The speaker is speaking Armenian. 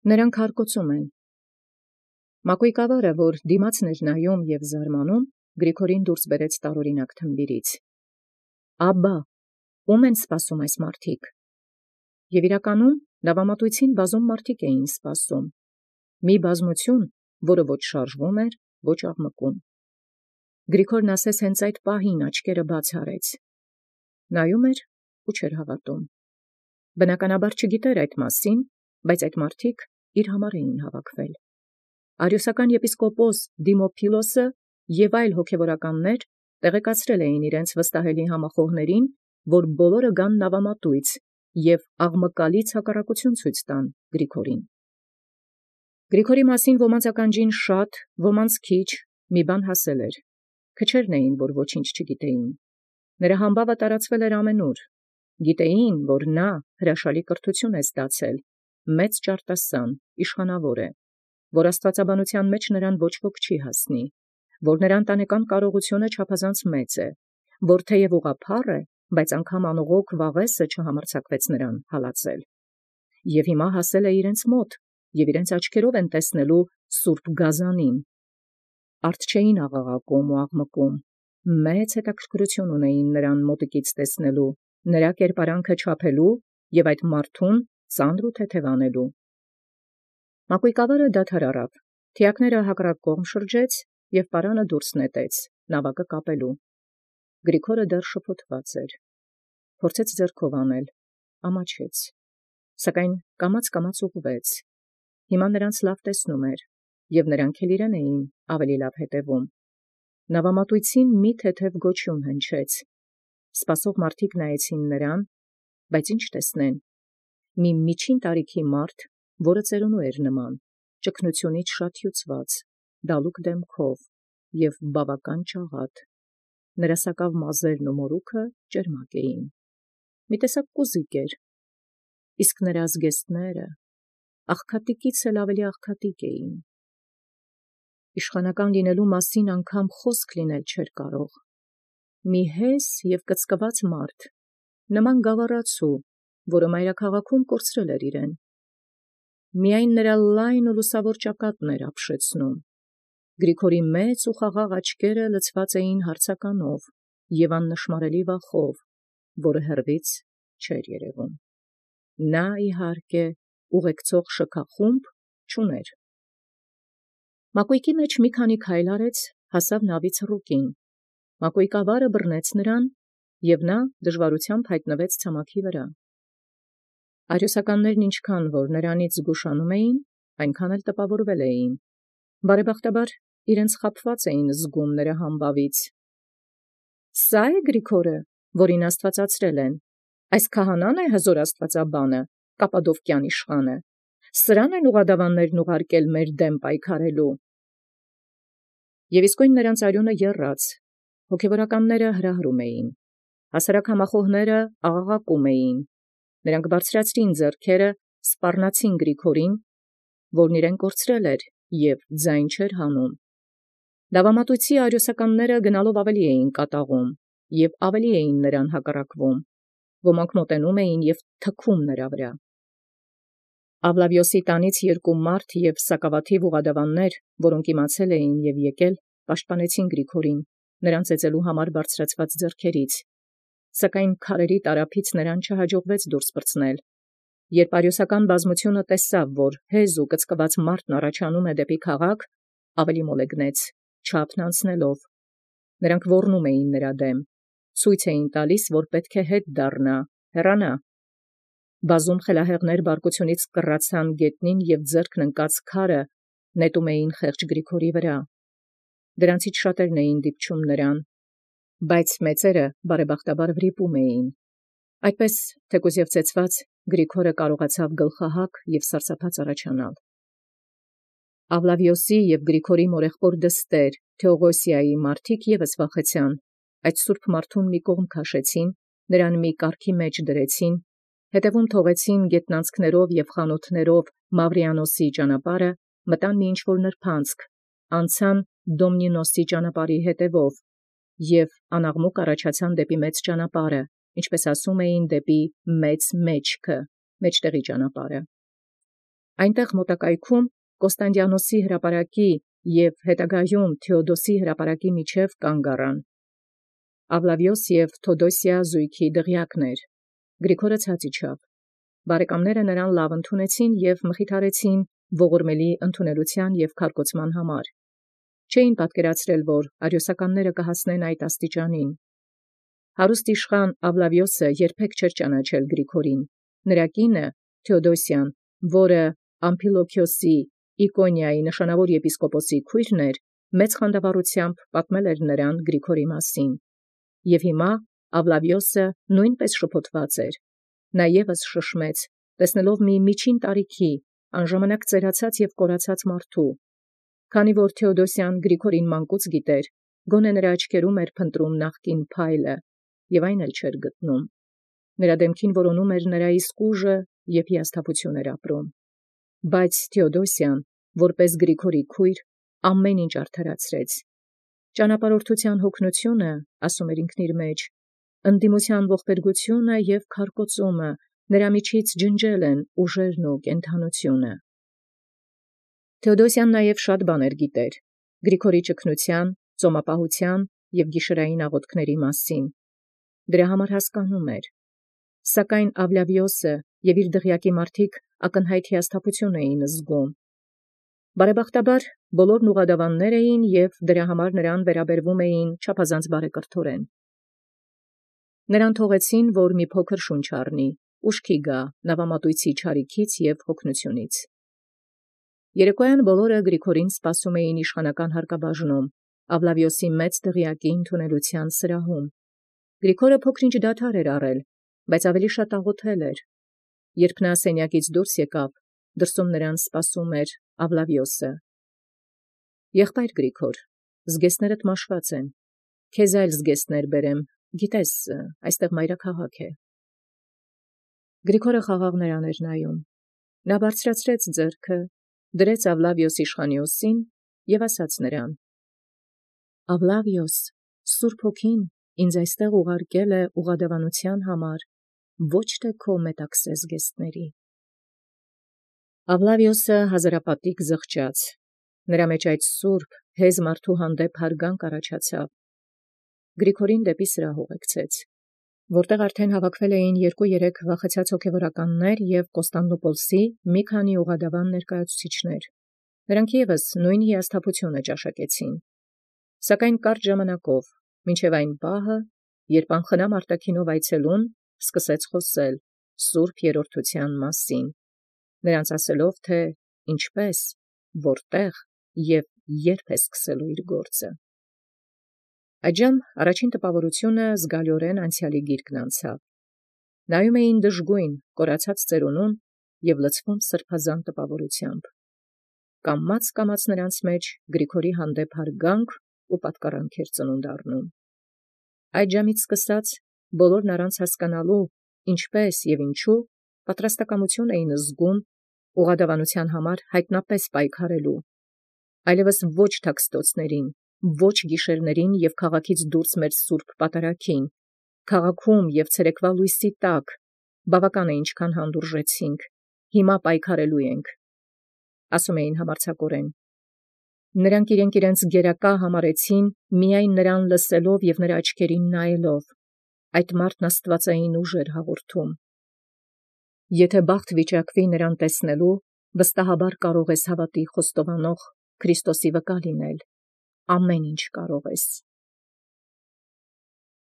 Նրանք հարկոցում են։ Մակոյկավարը, որ դիմացն էր նայում և զարմանում, Գրիգորին դուրս բերեց տարօրինակ թմբիրից։ Աբա, ո՞ւմ են սպասում այս մարդիկ։ Եւ իրականում լավամատույցին բազում մարդիկ էին սպասում։ Մի բազմություն, որը ոչ շարժվում էր, ոչ աղմկում։ Գրիգորն ասես հենց այդ պահին աչքերը բաց արեց։ Նայում էր ու չէր հավատում։ Բնականաբար չգիտեր այդ մասին, բայց այդ մարդիկ իր համար էին հավաքվել։ Արիոսական եպիսկոպոս Դիմոփիլոսը եւ այլ հոգևորականներ տեղեկացրել էին իրենց վստահելի համախոհներին, որ բոլորը գան նավամատույց եւ աղմկալից հակառակություն ցույց տան Գրիգորին։ Գրիգորի մասին ոմանց ականջին շատ, ոմանց քիչ մի բան հասել էր։ Քչերն էին, որ ոչինչ չգիտեին։ Նրա համբավը տարածվել էր ամենուր։ Գիտեին, որ նա հրաշալի կրթություն է ստացել, մեծ ճարտասան, իշխանավոր է, որ աստվածաբանության մեջ նրան ոչ ոք չի հասնի, որ նրա ընտանեկան կարողությունը չափազանց մեծ է, որ թեև ուղղափառ է, բայց անգամ անողոք վաղեսը չհամարձակվեց նրան հալածել։ Եվ հիմա հասել է իրենց մոտ, և իրենց աչքերով են տեսնելու սուրբ գազանին։ Արդ չէին աղաղակում ու աղմկում, մեծ հետաքրքրություն ունեին նրան մոտիկից տեսնելու, նրա կերպարանքը չափելու և այդ մարդուն ծանր ու թեթև անելու։ Մակոյկավարը դադար առավ, թիակները հակառակ կողմ շրջեց և պարանը դուրս նետեց, նավակը կապելու։ Գրիգորը դեռ շփոթված էր, փորձեց ձեռքով անել, ամաչեց, սակայն կամաց ուղղվեց։ Հիմա նրանց լավ տեսնում էր, և նրանք էլ իրեն էին ավելի լավ հետևում։ Նավամատույցին մի թեթև գոչյուն հնչեց։ Սպասող մարդիկ նայեցին նրան, բայց ինչ տեսնեն։ Մի միջին տարիքի մարդ, որը ծերունու էր նման, ճկնությունից շատ հյուծված, դալուկ դեմքով և բավական ճաղատ։ Նրա սակավ մազերն ու մորուքը ճերմակ էին։ Մի տեսակ կոզիկ էր, իսկ նրա զգեստները աղքատիկից էլ ավելի աղքատիկ էին։ Իշխանական լինելու մասին անգամ խոսք լինել չէր կարող։ Մի հես և կծկված մարդ, նման գավառացու, որը մայրաքաղաքում կորցրել էր իրեն։ Միայն նրա լայն ու լուսավոր ճակատն էր ապշեցնում։ Գրիգորի մեծ ու խաղաղ աչքերը լցված էին հարցականով և աննշմարելի վախով, որը հեռվից չէր երևում։ Նա, իհարկե, ուղեկցող շքախումբ չուներ։ Մակոյկի մեջ մի քանի քայլ արեց, հասավ նավի ցռուկին։ Մակոյկավարը բռնեց նրան, և նա դժվարությամբ հայտնվեց ցամաքի վրա։ Արիոսականներն ինչքան որ նրանից զգուշանում էին, այնքան էլ տպավորվել էին։ Բարեբախտաբար իրենց խաբված էին զգում նրա համբավից։ Սա՞ է Գրիգորը, որին աստվածացրել են, այս քահանա՞ն է հզոր աստվածաբանը, Կապադովկյան իշխանը, սրան են ուղղադավաններն ուղարկել մեր դեմ պայքարելու։ Եվ իսկույն նրանց արյունը եռաց, հոգևորականները հրահրում էին, հասարակ համախոհները աղաղակում էին, նրանք բարձրացրին ձեռքերը, սպառնացին Գրիգորին, որն իրեն կորցրել էր և ձայն չէր հանում։ Լավամատույցի արիոսականները գնալով ավելի էին կատաղում և ավելի էին նրան հակառակվում, ոմանք մոտենում էին և թքում նրա վրա։ Ավլավիոսի տանից երկու մարդ և սակավաթիվ ուղղադավաններ, որոնք իմացել էին և եկել, պաշտպանեցին Գրիգորին, նրան ծեծելու համար բարձրացված ձեռքերից, սակայն քարերի տարափից նրան չհաջողվեց դուրս պրծնել։ Երբ արիոսական բազմությունը տեսավ, որ հեզ ու կծկված մարդն առաջանում է դեպի քաղաք, ավելի մոլեգնեց, չափն անցնելով։ Նրանք ոռնում էին նրա դեմ, ցույց էին տալիս, որ պետք է հետ դառնա, հեռանա։ Բազում խելահեղներ բարկությունից կռացան գետնին և ձեռքն ընկած քարը նետում էին խեղճ Գրիգորի վրա։ Դրանցից շատերն էին դիպչում նրան, բայց մեծերը բարեբախտաբար վրիպում էին։ Այդպես, թեկուզ և ծեծված, Գրիգորը կարողացավ գլխահակ և սարսափած առաջանալ։ Ավլավիոսի և Գրիգորի մորեղբոր դստեր Թեողոսիայի մարդիկ ևս վախեցան, այդ սուրբ մարդուն մի կողմ քաշեցին, նրան մի կառքի մեջ դրեցին, հետևում թողեցին գետնանցքներով և խանութներով Մավրիանոսի ճանապարհը, մտան մի ինչ-որ նրբանցք, անցան Դոմնինոսի ճանապարհի հետևով և անաղմուկ առաջացան դեպի մեծ ճանապարհը, ինչպես ասում էին, դեպի մեծ մեջքը, մեջտեղի ճանապարհը։ Այնտեղ մոտակայքում Կոստանդիանոսի հրապարակի և հետագայում Թեոդոսի հրապարակի միջև կանգ առան։ Ավլավիոս և Թոդոսիա զույգի դղյակներ։ Գրիգորը ցած իջավ։ Բարեկամները նրան լավ ընդունեցին և մխիթարեցին ողորմելի ընդունելության և քարկոծման համար։ Չէին պատկերացրել, որ արիոսականները կհասնեն այդ աստիճանին։ Հարուստ իշխան Ավլավիոսը երբեք չէր ճանաչել Գրիգորին։ Նրա կինը Թեոդոսիան, որը Ամփիլոքիոսի Իկոնիայի նշանավոր եպիսկոպոսի քույրն էր, մեծ խանդավառությամբ պատմել էր նրան Գրիգորի մասին։ Եվ հիմա Ավլավիոսը նույնպես շփոթված էր։ Նա ևս շշմեց, տեսնելով մի միջին տարիքի, անժամանակ ծերացած և կորացած մարդու։ Քանի որ Թեոդոսիան Գրիգորին մանկուց գիտեր, գոնե նրա աչքերում էր փնտրում նախկին փայլը, և այն էլ չէր գտնում։ Նրա դեմքին որոնում էր նրա իսկ ուժը և հիասթափություն էր ապրում։ Բայց Թեոդոսիան, որպես Գրիգորի քույր, ամեն ինչ արդարացրեց։ Ճանապարհորդության հոգնությունը, ասում էր ինքն իր մեջ, ընդդիմության ողբերգությունը և քարկոծումը նրա միջից ջնջել են ուժերն ու կենդանությունը։ Թեոդոսիան նաև շատ բաներ գիտեր Գրիգորի ճգնության, ծոմապահության և գիշերային աղոթքների մասին։ Դրա համար հասկանում էր։ Սակայն Ավլավիոսը և իր դղյակի մարդիկ ակնհայտ հիասթափություն էին զգում։ Բարեբախտաբար բոլորն ուղղադավաններ էին և դրա համար նրան վերաբերվում էին չափազանց բարեկրթորեն։ Նրան թողեցին, որ մի փոքր շունչ առնի, ուշքի գա նավամատույցի չարիքից և հոգնությունից։ Երեկոյան բոլորը Գրիգորին սպասում էին իշխանական հարկաբաժնում, Ավլավիոսի մեծ դղյակի ընդունելության սրահում։ Գրիգորը փոքր-ինչ դադար էր առել, բայց ավելի շատ աղոթել էր։ Երբ նա սենյակից դուրս եկավ, դրսում նրան սպասում էր Ավլավիոսը։ «Եղբայր Գրիգոր, զգեստներդ մաշված են, քեզ այլ զգեստներ բերեմ, գիտես, այստեղ մայրաքաղաք է»։ Գրիգորը խաղաղ նրան էր նայում։ Նա բարձրացրեց ձեռքը, դրեց Ավլավիոս իշխանիոսին և ասաց նրան. «Ավլավիոս, Սուրբ Հոգին ինձ այստեղ ուղարկել է ուղղադավանության համար, ոչ թե քո մետաքսե զգեստների»։ Ավլավիոսը հազարապատիկ զղջաց։ Նրա մեջ այդ սուրբ, հեզ մարդու հանդեպ հարգանք առաջացավ։ Գրիգորին դեպի սրահ ուղեկցեց, որտեղ արդեն հավաքվել էին 2-3 վախեցած հոգևորականներ և Կոստանդնուպոլսի մի քանի ուղղադավան ներկայացուցիչներ։ Նրանք ևս նույն հիասթափությունը ճաշակեցին։ Սակայն կարճ ժամանակով, մինչև այն պահը, երբ անխնամ արտաքինով այցելուն սկսեց խոսել սուրբ երրորդության մասին, նրանց ասելով, թե ինչպես, որտեղ և երբ է սկսելու իր գործը։ Այդժամ առաջին տպավորությունը զգալիորեն անցյալի գիրկն անցավ։ Նայում էին դժգույն, կորացած ծերունուն և լցվում սրբազան տպավորությամբ։ Կամաց նրանց մեջ Գրիգորի հանդեպ հարգանք ու պատկառանք էր ծնունդ առնում։ Այդժամից սկսած բոլորն առանց հասկանալու ինչպես և ինչու պատրաստակամություն էին զգում ուղղադավանության համար հայտնապես պայքարելու, այլևս ոչ թաքստոցներին, ոչ գիշերներին և քաղաքից դուրս մեր սուրբ պատարագին, քաղաքում և ցերեկվա լույսի տակ, բավական է ինչքան հանդուրժեցինք, հիմա պայքարելու ենք, ասում էին համարձակորեն։ Նրանք իրենց գերակա համարեցին միայն նրան լսելով և նրա աչքերին նայելով։ Այդ մարդն աստվածային ուժ էր հաղորդում։ Եթե բախտ վիճակվի նրան տեսնելու, վստահաբար կարող ես հավատի խոստովանող Քրիստոսի վկա լինել։ Ամեն ինչ կարող ես։